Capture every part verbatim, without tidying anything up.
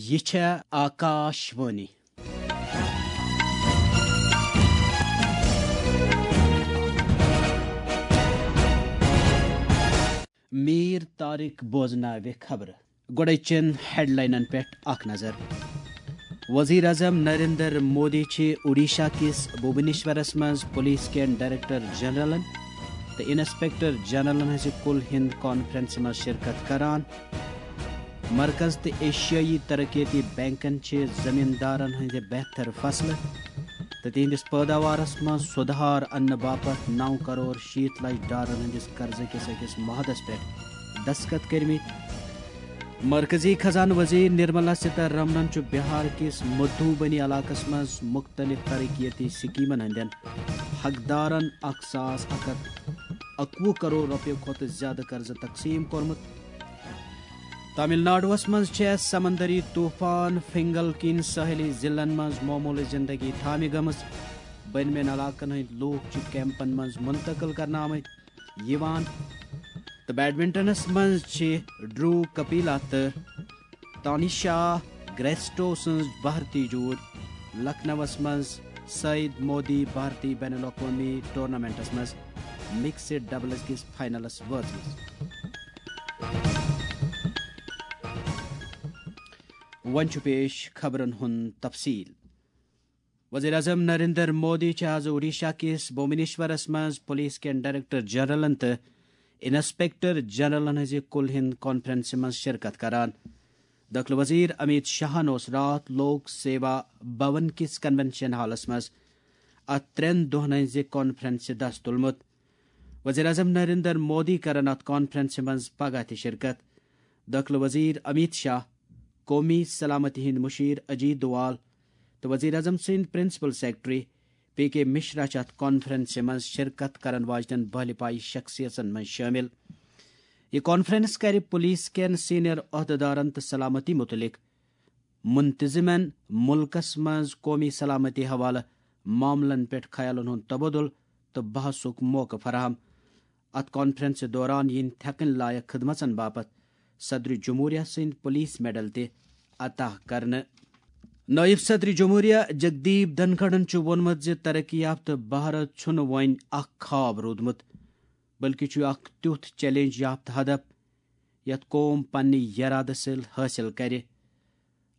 یہِ چھےٚ آکاش وانی۔ میٖر طارق بوزناوِ خبرٕ۔ گۄڈَے چٮ۪ن ہیڈلاینن پٮ۪ٹھ اکھ نظر۔ وزیر اعظم نریندر مودی چھِ اوڈیشہ کِس بھوبنیشورس منٛز پولیس کٮ۪ن ڈائریکٹر جنرلن تہٕ انسپیکٹر جنرلن ہٕنٛزِ کُل ہِنٛد کانفرنسہِ منٛز شرکت کران۔ مرکز تہٕ ایشیائی ترقیتی بینکن چھِ زمیٖندارن ہٕنٛدِ بہتر فصلہٕ تہٕ تِہنٛدِس پٲداوارس منٛز سُدھار اننہٕ باپتھ نو کرور شیٖتھ لچھ ڈالرن ہٕنٛدِس قرضہٕ کِس أکِس معاہدس پٮ۪ٹھ دستخط کٔرمٕتۍ۔ مرکزی خزانہٕ وزیر نرملا سیتارمنن چھُ بہار کِس مدھوبنی علاقس منٛز مُختٔلِف ترقیتی سکیمن ہٕنٛدٮ۪ن حقدارن اکھ ساس اکھ ہتھ اکوُہ کرور رۄپیہِ کھۄتہٕ زیادٕ قرضہٕ تقسیٖم کوٚرمُت۔ تامل ناڈوَس منٛز چھےٚ سمندری طوفان فنگل کِنۍ ساحلی ضلعن منٛز معموٗلٕچ زندگی تھامہِ گٔمٕژ۔ بٔنمٮ۪ن علاقن ہٕنٛدۍ لوٗکھ چھِ کیمپن منٛز منتقل کرنہٕ آمٕتۍ یِوان۔ تہٕ بیڈمنٹنس منٛز چھِ ڈرو کپیلا تہٕ تانیشا گریسٹو سٕنٛز بھارتی جوٗرۍ لکھنؤَس منٛز سعید مودی بھارتی بین الاقوٲمی ٹورنامنٹس منٛز مکسڈ ڈبلز کِس فائنلس وٲژمٕژ۔ وۄنۍ چھُ پیش خبرن ہُنٛد تفصیل۔ وزیر اعظم نریندر مودی چھِ آز اوڈیشہ کِس بھوبنیشورس منٛز پولیس کٮ۪ن ڈائریکٹر جنرلن تہٕ انسپیکٹر جنرلن ہٕنٛزِ کُل ہِنٛد کانفرنسہِ منٛز شرکت کران۔ دٲخلہٕ وزیر امیت شاہن اوس راتھ لوک سیوا بھون کِس کنونشن ہالس منٛز اتھ ترٛٮ۪ن دۄہن ہٕنٛزِ کانفرنسہِ دس تُلمُت۔ وزیر اعظم نریندر مودی کرن اتھ کانفرنسہِ منٛز پگاہ تہِ شرکت۔ دٲخلہٕ وزیر امیت شاہ، قومی سلامتی ہٕنٛدۍ مشیر اجیت دوال تہٕ وزیر اعظم سٕنٛدۍ پرنسپل سیکرٹری پی کے مشرا چھِ اتھ کانفرنسہِ منٛز شرکت کرن واجنٮ۪ن بھلہِ پایہِ شخصیژن منٛز شٲمِل۔ یہِ کانفرنس کرِ پولیس کٮ۪ن سینئر عہدٕدارن تہٕ سلامتی مُتعلق منتظمن مُلکس منٛز قومی سلامتی حوالہٕ معاملن پٮ۪ٹھ خیالن ہُنٛد تبادلہٕ تہٕ بحثُک موقعہٕ فراہم۔ اتھ کانفرنسہِ دوران یِن تھٮ۪کٕنۍ لایق خدمژن باپتھ صدر جمہوریہ سٕنٛدۍ پولیس میڈل تہِ عطا کرنہٕ۔ نٲیِب صدر جمہوریہ جگدیپ دھنکھڑن چھُ ووٚنمُت زِ ترقی یافتہٕ بھارت چھُنہٕ وۄنۍ اکھ خواب روٗدمُت، بلکہِ چھُ اکھ تیُتھ چیلنج یافتہٕ ہدف یتھ قوم پننہِ یرادٕ سۭتۍ حٲصِل کرِ۔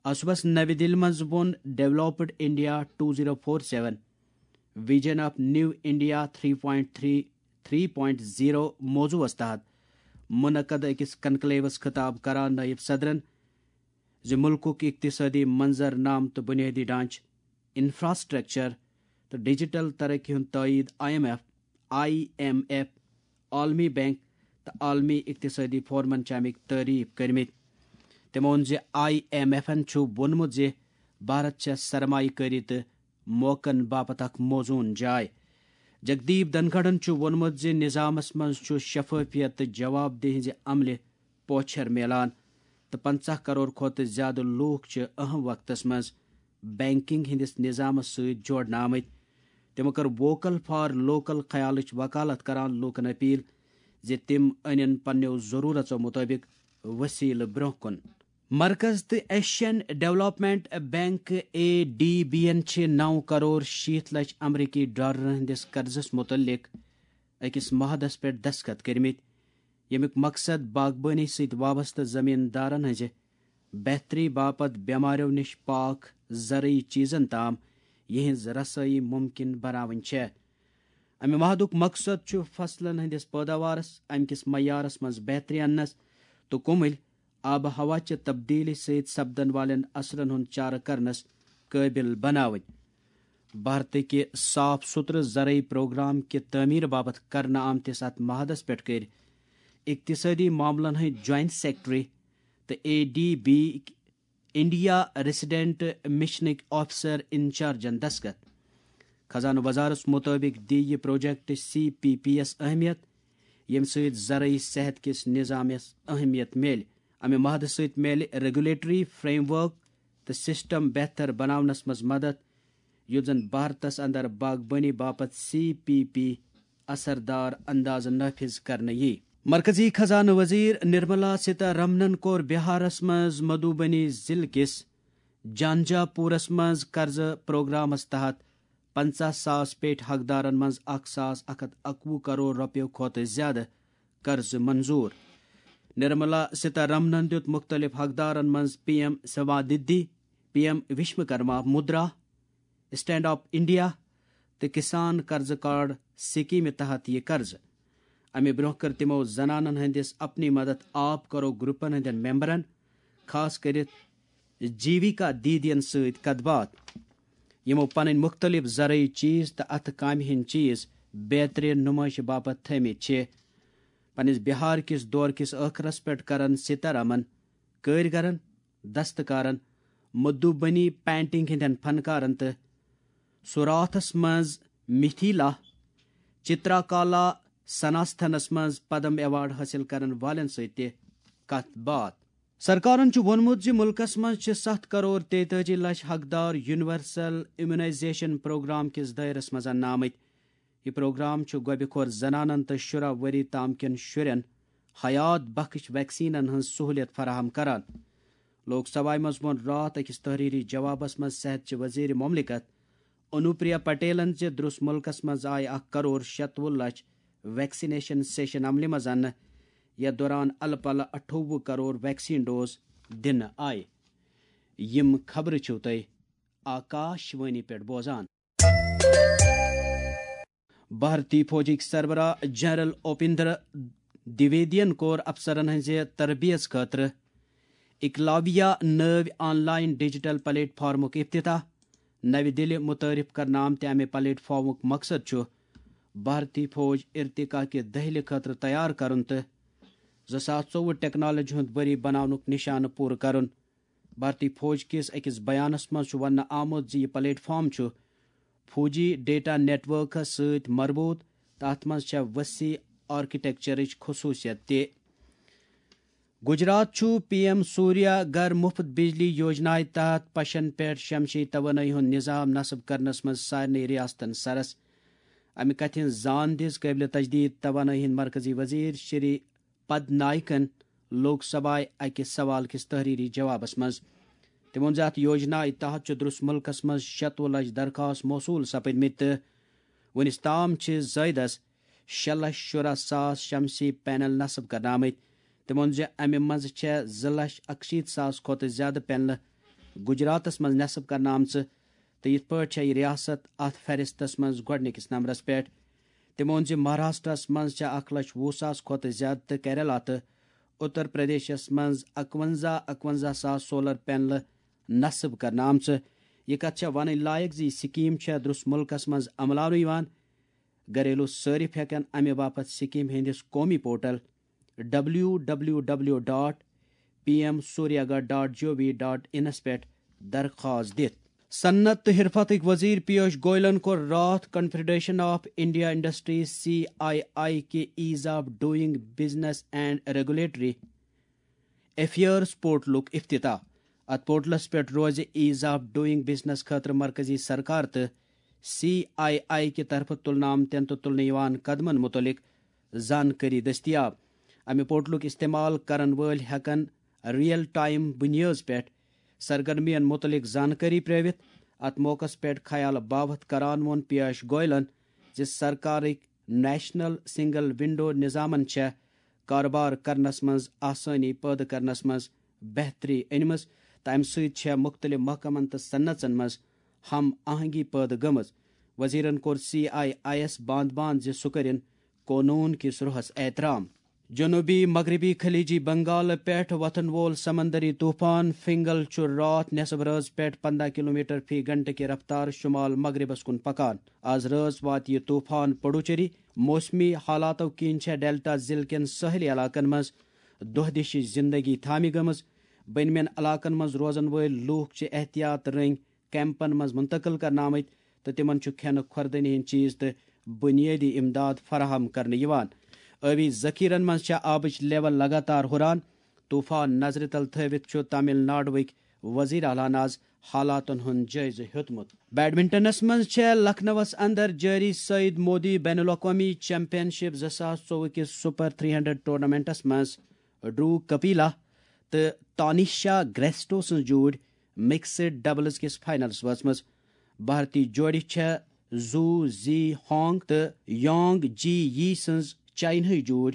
آز صُبحس نَوِ دِلہِ منٛز ووٚن Developed India two zero four seven Vision of New India three point three three point zero موضوعس تحت منعقد أکِس کنکلیوس خطاب کران نٲیِب صدرن زِ مُلکُک اقتصٲدی منظر نامہٕ تہٕ بُنیٲدی ڈھانچہٕ، انفراسٹرکچر تہٕ ڈیجیٹل ترقی ہُنٛد تٲیید۔ I M F, I M F, عالمی بینک تہٕ عالمی اقتصٲدی فورمن چھِ اَمِکۍ تعریف کٔرمٕتۍ۔ تٔمۍ ووٚن زِ آئی ایم ایفن چھُ ووٚنمُت زِ بھارت چھےٚ سرمایہ کٲری تہٕ موقعن باپتھ اکھ موزوٗن جاے۔ جگدیپ دھنکھڑن چھُ ووٚنمُت زِ نظامس منٛز چھُ شفافیت تہٕ جواب دہی ہٕنٛزِ عملہِ پوچھر میلان تہٕ پنژاہ کرور کھۄتہٕ زیادٕ لوٗکھ چھِ اہم وقتس منٛز بینکنگ ہٕنٛدِس نظامس سۭتۍ جوڑنہٕ آمٕتۍ۔ تِمو کٔر ووکل فار لوکل خیالٕچ وکالت کران لوٗکن اپیل زِ تِم أنِن پننیو ضروٗرژو مُطٲبِق وسیلہٕ برٛونٛہہ کُن۔ مرکز تہٕ Asian development bank, A D B, یَن چھِ نو کرور شیٖتھ لچھ امریکی ڈالرن ہٕنٛدِس قرضس مُتعلق أکِس معاہدس پٮ۪ٹھ دستخط کٔرمٕتۍ، ییٚمیُک مقصد باغبٲنی سۭتۍ وابستہٕ زمیٖن دارن ہٕنٛزِ بہتری باپتھ بٮ۪مارٮ۪و نِش پاک زرعی چیٖزن تام یِہٕنٛز رسٲیی مُمکِن بناوٕنۍ چھےٚ۔ امہِ معاہدُک مقصد چھُ فصلن ہٕنٛدِس پٲداوارس، امہِ کِس معیارس منٛز بہتری اننس تہٕ کُمٕلۍ آب و ہوا چہِ تبدیلی سۭتۍ سپدن والٮ۪ن اثرن ہُنٛد چارٕ کرنس قٲبل بناوٕنۍ۔ بھارتٕکہِ صاف ستھرٕ زرعی پروگرام کہِ تعمیٖر باپتھ کرنہٕ آمتِس اتھ معاہدس پٮ۪ٹھ کٔرۍ اقتصٲدی معاملن ہٕنٛدۍ جوائنٹ سیکرٹری تہٕ A D B India resident مشنٕکۍ آفیسر انچارجن دستخط۔ خزانہٕ وزارتس مُطٲبِق دِیہِ یہِ پروجیکٹ سی پی پی یَس اہمیت، ییٚمہِ سۭتۍ زرعی صحت کِس نظامس اہمیت میلہِ۔ امہِ معاہدٕ سۭتۍ میلہِ ریگولیٹری فریم ورک تہٕ سسٹم بہتر بناونس منٛز مدد، یُتھ زن بھارتس اندر باغبٲنی باپتھ سی پی پی اثردار اندازٕ نافذ کرنہٕ یی۔ مرکزی خزانہٕ وزیر نرملا سیتارمنن کوٚر بہارس منٛز مدھوبنی ضلعہٕ کِس جانجا پورس منٛز قرضہٕ پروگرامس تحت پنژاہ ساس پیٹھ حقدارن منٛز اکھ ساس اکھ ہتھ اکوُہ کرور رۄپیو کھۄتہٕ زیادٕ قرضہٕ منظور۔ نرملا سیتارمنن دیُت مختلف حقدارن منٛز P M Svanidhi, P M Vishwakarma Mudra, stand up India تہٕ کسان قرضہٕ کارڈ سکیمہِ تحت یہِ قرضہٕ۔ امہِ برونٛہہ کٔر تِمو زنانن ہٕنٛدِس اپنی مدد آپ کرو گروپن ہٕنٛدٮ۪ن ممبرن، خاص کٔرِتھ جیویکا دیدین سۭتۍ کتھ باتھ، یِمو پنٕنۍ مختلف زرعی چیز تہٕ اتھٕ کامہِ ہٕنٛدۍ چیز بہترین نمائشہِ باپتھ تھٲومٕتۍ چھِ۔ پننِس بہار کِس دورٕ کِس ٲخرس پٮ۪ٹھ کرن سیتارمن کٲرۍگرن، دستکارن، مدھوبنی پینٹنگ ہٕنٛدٮ۪ن فنکارن تہٕ سوراتھس منٛز مِتھِلا چِتراکالا سناستھنس منٛز پدم ایوارڈ حٲصِل کرن والٮ۪ن سۭتۍ تہِ کتھ باتھ۔ سرکارن چھُ ووٚنمُت زِ مُلکس منٛز چھِ ستھ کرور تیتٲجی لچھ حقدار یونیورسل امیونائزیشن پروگرام کِس دٲیرس منٛز اننہٕ آمٕتۍ۔ یہِ پروگرام چھُ گۄبہِ خور زنانن تہٕ شُراہ ؤری تام کٮ۪ن شُرٮ۪ن حیات بخش ویکسینن ہٕنٛز سہوٗلیت فراہم کران۔ لوک سبھایہ منٛز ووٚن راتھ أکِس تحریری جوابس منٛز صحت چہِ وزیر مملکت انوپریا پٹیلن زِ درس ملکس منٛز آیہِ اکھ کرور شتوُہ لچھ ویکسینیشن سیشن عملہِ منٛز اننہٕ، یتھ دوران الہٕ پلہٕ اَٹھووُہ کرور ویکسین ڈوز دِنہٕ آیہِ۔ یِم خبرٕ چھِو تُہۍ آکاش وانی پٮ۪ٹھ بوزان۔ بھارتی فوجٕکۍ سربراہ جنرل اوپیندر دویدین کوٚر افسرن ہٕنٛزِ تربیژ خٲطرٕ اکلاویا نٲوۍ آن لائن ڈیجیٹل پلیٹ فارمُک افتتاح۔ نوِ دِلہِ متعارف کرنہٕ آمتہِ امہِ پلیٹ فارمُک مقصد چھُ بھارتی فوج ارتقا کہِ دٔہلہِ خٲطرٕ تیار کرُن تہٕ زٕ ساس ژوٚوُہ ٹیکنالوجی ہُنٛد ؤری بناونُک نشانہٕ پوٗرٕ کرُن۔ بھارتی فوج کِس أکِس بیانَس منٛز چھُ وننہٕ آمُت زِ یہِ پلیٹ فارم چھُ فوجی ڈیٹا نیٹ ورکس سۭتۍ مربوط تہٕ اَتھ منٛز چھےٚ وسیع آرکیٹیکچرٕچ خصوٗصیت تہِ۔ گجرات چھُ پی ایم سوریا گھر مفت بجلی یوجنایہِ تحت پشن پٮ۪ٹھ شمسی توانٲیی ہُنٛد نظام نصب کرنس منٛز سارنٕے ریاستن سرس۔ امہِ کتھِ ہٕنٛز زان دِژ قٲبلِ تجدید توانٲیی ہٕنٛدۍ مرکزی وزیر شری پد نائکن لوک سبھایہ اکہِ سوال کِس تحریری جوابس منٛز۔ تٔمۍ ووٚن زِ اتھ یوجنایہِ تحت چھُ درس مُلکس منٛز شتوُہ لچھ درخواست موصول سپدمٕتۍ تہٕ وُنِس تام چھِ زٲیدس شےٚ لچھ شُراہ ساس شمسی پینل نصب کرنہٕ آمٕتۍ۔ تٔمۍ ووٚن زِ امہِ منٛز چھےٚ زٕ لچھ اکشیٖتھ ساس کھۄتہٕ زیادٕ پینلہٕ گجراتس منٛز نصب کرنہٕ آمژٕ تہٕ یِتھ پٲٹھۍ چھےٚ یہِ ریاست اتھ فہرستس منٛز گۄڈٕنِکِس نمبرس پٮ۪ٹھ۔ تٔمۍ ووٚن زِ مہاراشٹرس منٛز چھےٚ اکھ لچھ وُہ ساس کھۄتہٕ زیادٕ تہٕ کیرلا تہٕ اُتر پردیشس منٛز اکونزہ اکونزہ ساس سولر پینلہٕ نصب کرنہٕ آمژٕ۔ یہِ کتھ چھےٚ ونٕنۍ لایق زِ یہِ سکیٖم چھےٚ درس مُلکس منٛز عملاونہٕ یِوان۔ گھریلو صٲرِف ہٮ۪کن امہِ باپتھ سکیٖم ہٕنٛدِس قومی portal W W W dot P M Suryaghar dot G O V dot in پٮ۪ٹھ درخواست دِتھ۔ صنعت تہٕ حرفتٕکۍ وزیر پیوش گوئلن کوٚر راتھ confederation of India industries, C I I, کہِ ease of doing business and regulatory affairs پورٹلُک افتتاح۔ اتھ پورٹلس پٮ۪ٹھ روزِ ایز آف ڈوئنگ بزنس خٲطرٕ مرکزی سرکار تہٕ سی آئی آئی کہِ طرفہٕ تُلنہٕ آمتٮ۪ن تہٕ تُلنہٕ یِوان قدمن مُتعلق زانکٲری دٔستیاب۔ امہِ پورٹلُک استعمال کرن وٲلۍ ہٮ۪کن ریئل ٹائم بُنیٲژ پٮ۪ٹھ سرگرمین مُتعلق زانکٲری پرٲوِتھ۔ اتھ موقعس پٮ۪ٹھ خیال باوتھ کران ووٚن پیوش گوئلن زِ سرکارٕکۍ نیشنل سنگل ونڈو نظامن چھےٚ کارٕبار کرنس منٛز آسٲنی پٲدٕ کرنس منٛز بہتری أنمٕژ تہٕ امہِ سۭتۍ چھےٚ مُختٔلِف محکمن تہٕ صنعژن منٛز ہم آہنگی پٲدٕ گٔمٕژ۔ وزیرن کوٚر سی آئی آئی یَس باند باند زِ سُہ کٔرِن قونوٗن کِس روحس احترام۔ جنوبی مغربی خلیجی بنگال پٮ۪ٹھ وۄتھن وول سمندری طوفان فنگل چھُ راتھ نٮ۪صٕب رٲژ پٮ۪ٹھ پنداہ کلومیٹر فی گھنٹہٕ کہِ رفتار شمال مغربس کُن پکان۔ از رٲژ واتہِ یہِ طوفان پڈوچیری۔ موسمی حالاتو کِنۍ چھےٚ ڈیلٹا ضلعہٕ کٮ۪ن سٲحلی علاقن منٛز دۄہ دِشِچ زندگی تھامہِ گٔمٕژ۔ بٔنمٮ۪ن علاقن منٛز روزن وٲلۍ لوٗکھ چھِ احتیاط رٔنگۍ کیمپن منٛز منتقل کرنہٕ آمٕتۍ تہٕ تِمن چھُ کھٮ۪نہٕ، خوردنی ہٕنٛدۍ چیز تہٕ بنیٲدی امداد فراہم کرنہٕ یِوان۔ ٲبی ذخیرن منٛز چھےٚ آبٕچ لیول لگاتار ہُران۔ طوفان نظرِ تل تھٲوِتھ چھُ تامل ناڈوٕکۍ وزیر اعلیٰ ہن از حالاتن ہُنٛد جٲیزٕ ہیوٚتمُت۔ بیڈمنٹنس منٛز چھےٚ لکھنؤَس اندر جٲری سعید مودی بین الاقوامی چیمپین شپ زٕ ساس ژوٚوُہ کِس سپر تھری ہنڈریڈ ٹورنامنٹس منٛز ڈرو کپیلا تہٕ تانیشا گریسٹو سٕنٛز جوٗرۍ مکسڈ ڈبلز کِس فائنلس وٲژمٕژ۔ بھارتی جوڑِ چھےٚ زو زی ہانگ تہٕ یانگ جی یی سٕنٛز چاینہٕے جوڑ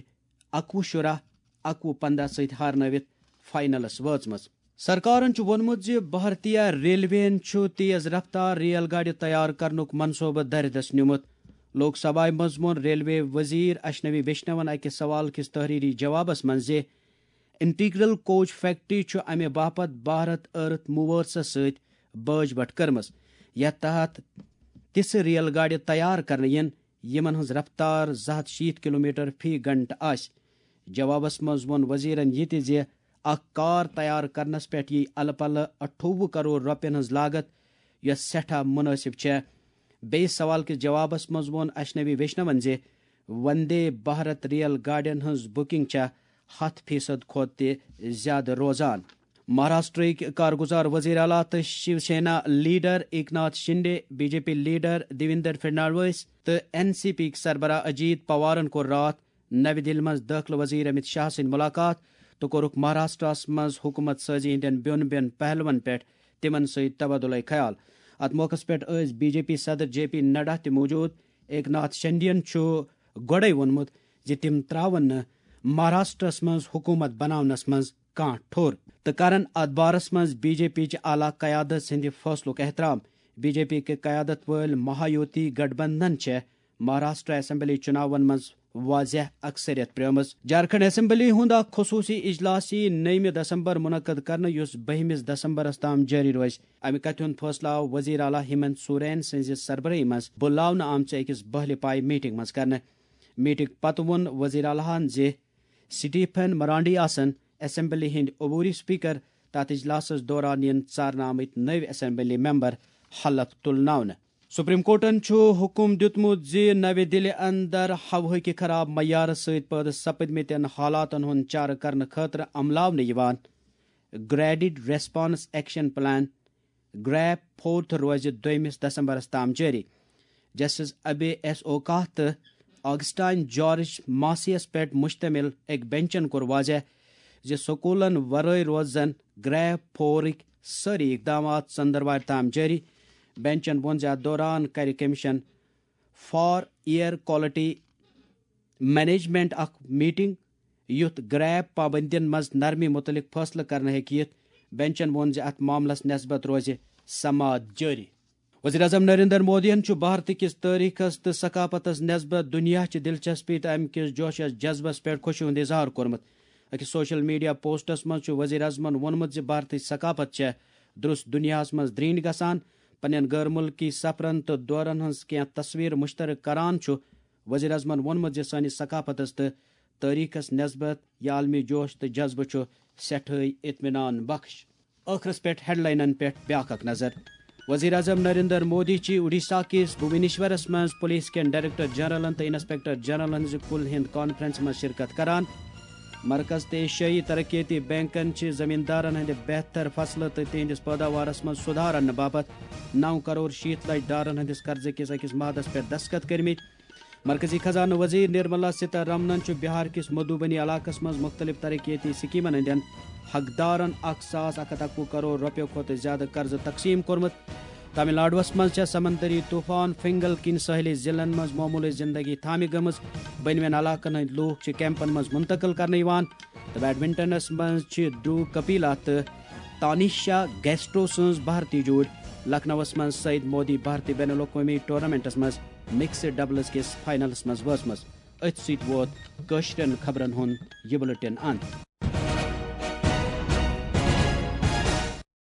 اکوُہ شُراہ، اکوُہ پنداہ سۭتۍ ہارنٲوِتھ فائنلس وٲژمٕژ۔ سرکارن چھُ ووٚنمُت زِ بھارتیہ ریلویَن چھُ تیز رفتار ریل گاڑِ تیار کرنُک منصوبہٕ دردس نیومُت۔ لوک سبھایہ منٛز ووٚن ریلوے وزیر اشنوی ویشنون أکِس سوال کِس تحریری جوابس منٛز زِ انٹیگرل کوچ فیکٹری چھُ امہِ باپتھ بھارت ارتھ موورسس سۭتۍ باج بٹھ کٔرمٕژ، یتھ تحت تِژھٕ ریل گاڑِ تیار کرنہٕ یِن، یِمن ہٕنٛز رفتار زٕ ہتھ شیٖتھ کلومیٹر فی گھنٹہٕ آسہِ۔ جوابس منٛز ووٚن وزیرن یہِ تہِ زِ اکھ کار تیار کرنس پٮ۪ٹھ یِیہِ الہٕ پلہٕ اَٹھووُہ کرور رۄپین ہٕنٛز لاگت، یۄس سٮ۪ٹھاہ مُنٲسِب چھےٚ۔ بیٚیِس سوال کِس جوابس منٛز ووٚن اشنوی ویشنون زِ وندے بھارت ریل گاڑٮ۪ن ہٕنٛز بُکنگ چھےٚ ہتھ فیصد کھۄتہٕ تہِ زیادٕ روزان۔ مہاراشٹرٕکۍ کارگزار وزیر اعلیٰ تہٕ Shiv Sena leader Eknath Shinde, B J P leader Devendra Fadnavis تہٕ این سی پی یٕکۍ سربراہ اجیت پوارن کوٚر راتھ نَوِ دِلہِ منٛز دٲخلہٕ وزیر امت شاہ سٕنٛدۍ مُلاقات تہٕ کوٚرُکھ مہاراشٹرس منٛز حکومت سٲزی ہٕنٛدٮ۪ن بیوٚن بیوٚن پہلوَن پٮ۪ٹھ تِمن سۭتۍ تبادلہ خیال۔ اتھ موقعس پٮ۪ٹھ ٲسۍ بی جے پی صدر جے پی نڈا تہِ موجود۔ ایکناتھ شنڈین چھُ گۄڈے ووٚنمُت زِ تِم تراون نہٕ مہاراشٹرس منٛز حکومت بناونس منٛز کانٛہہ ٹھوٚر تہٕ کرن اتھ بارس منٛز بی جے پی چہِ اعلیٰ قیادت سٕنٛدِ فٲصلُک احترام۔ بی جے پی کہِ قیادت وٲلۍ مہایوتی گٹھ بندھن چھےٚ مہاراشٹر اسمبلی چُناون منٛز واضح اکثریت پرٛٲومٕژ۔ جھارکھنڈ اسمبلی ہُنٛد اکھ خصوٗصی اجلاس یِیہِ نٔیمہِ دسمبر منعقد کرنہٕ، یُس بٔہمِس دسمبرس تام جٲری روزِ۔ امہِ کتھِ ہُنٛد فٲصلہٕ آو وزیر اعلیٰ ہیمنت سورین سٕنٛزِ سربرٲہی منٛز بُلاونہٕ آمژِ أکِس بٔہلہِ پایہِ میٹنگ منٛز کرنہٕ۔ میٹنگ پتہٕ ووٚن وزیر اعلیٰ ہَن زِ سٹیفن مرانڈی آسن اسمبلی ہٕنٛدۍ عبوری اسپیکر۔ تتھ اجلاسس دوران یِن ژارنہٕ آمٕتۍ نٔوۍ اسمبلی ممبر حلف تُلناونہٕ۔ سپریم کورٹن چھُ حکم دیُتمُت زِ نَوِ دِلہِ اندر ہوہٕکہِ خراب معیارٕ سۭتۍ پٲدٕ سپدمٕتٮ۪ن حالاتن ہُنٛد چارٕ کرنہٕ خٲطرٕ عملاونہٕ یِوان graded response action plan, GRAP fourth, روزِ دوٚیمِس دسمبرس تام جٲری۔ جسٹس ابے ایس اوکاہ تہٕ آگسٹائن جارج ماسیَس پٮ۪ٹھ مشتمل أکۍ بینچن کوٚر واضح زِ سکوٗلن ورٲے روزن گریپ فورٕکۍ سٲری اقدامات ژٔنٛدٕروارِ تام جٲری۔ بینچن ووٚن زِ اتھ دوران کرِ commission for air quality management اکھ میٹنگ، یُتھ گریپ پابندین منٛز نرمی متعلق فٲصلہٕ کرنہٕ ہیٚکہِ یِتھ۔ بینچن ووٚن زِ اتھ معاملس نسبت روزِ سماعت جٲری۔ وزیر اعظم نریندر مودیَن چھُ بھارت کِس تٲریخس تہٕ ثقافتس نسبت دنیا چہِ دلچسپی تہٕ امہِ کِس جوشس جذبس پٮ۪ٹھ خوشی ہُنٛد اظہار کوٚرمُت۔ أکِس سوشل میڈیا پوسٹس منٛز چھُ وزیر اعظمَن ووٚنمُت زِ بھارتٕچ ثقافت چھےٚ درست دنیاہس منٛز درینج گژھان۔ پننٮ۪ن غٲر مُلکی سفرن تہٕ دورن ہٕنٛز کینٛہہ تصویر مشترک کران چھُ وزیر اعظمَن ووٚنمُت زِ سٲنِس ثقافتس تہٕ تٲریخس نسبت یہِ عالمی جوش تہٕ جذبہٕ چھُ سٮ۪ٹھٲے اطمینان بخش۔ ٲخرس پٮ۪ٹھ ہیڈلاینن پٮ۪ٹھ بیاکھ اکھ نظر۔ وزیر اعظم نریندر مودی چھِ اڈیشہ کِس بھوونیشورس منٛز پولیس کٮ۪ن ڈائریکٹر جنرلن تہٕ انسپکٹر جنرلن ہٕنٛزِ کُل ہند کانفرنس منٛز شرکت کران۔ مرکز تہٕ ایشیائی ترقیتی بینکن چھِ زمیندارن ہٕنٛدِ بہتر فصلہٕ تہٕ تِہنٛدِس پٲداوارس منٛز سُدھار اننہٕ باپتھ نو کرور شیٖتھ لچھ ڈالرن ہٕنٛدِس قرضہٕ کِس أکِس معاہدس پٮ۪ٹھ دستخط کٔرمٕتۍ۔ مرکزی خزانہٕ وزیر نرملا سیتا رمنن چھُ بہار کِس مدھوبنی علاقس منٛز مُختٔلِف ترقیتی سکیمن ہٕنٛدٮ۪ن حقدارن اکھ ساس اکھ ہتھ اکوُہ کرور رۄپیو کھۄتہٕ زیادٕ قرضہٕ تقسیٖم کوٚرمُت۔ تامل ناڈوَس منٛز چھےٚ سمندری طوفان فنگل کِنۍ سٲحلی ضلعن منٛز معموٗلٕچ زندگی تھامہِ گٔمٕژ۔ بٔنمٮ۪ن علاقن ہٕنٛدۍ لوٗکھ چھِ کیمپن منٛز منتقل کرنہٕ یِوان۔ تہٕ بیڈمنٹنس منٛز چھِ ڈرو کپیلا تہٕ تانیشا گیسٹرو سٕنٛز بھارتی جوڑ لکھنؤَس منٛز سعید مودی بھارتی بین الاقوٲمی ٹورنامنٹس منٛز مکسڈ ڈبلز کِس فائنلس منٛز وٲژمٕژ۔ أتھۍ سۭتۍ ووت کٲشرٮ۪ن خبرن ہُنٛد یہِ بُلٹن اند۔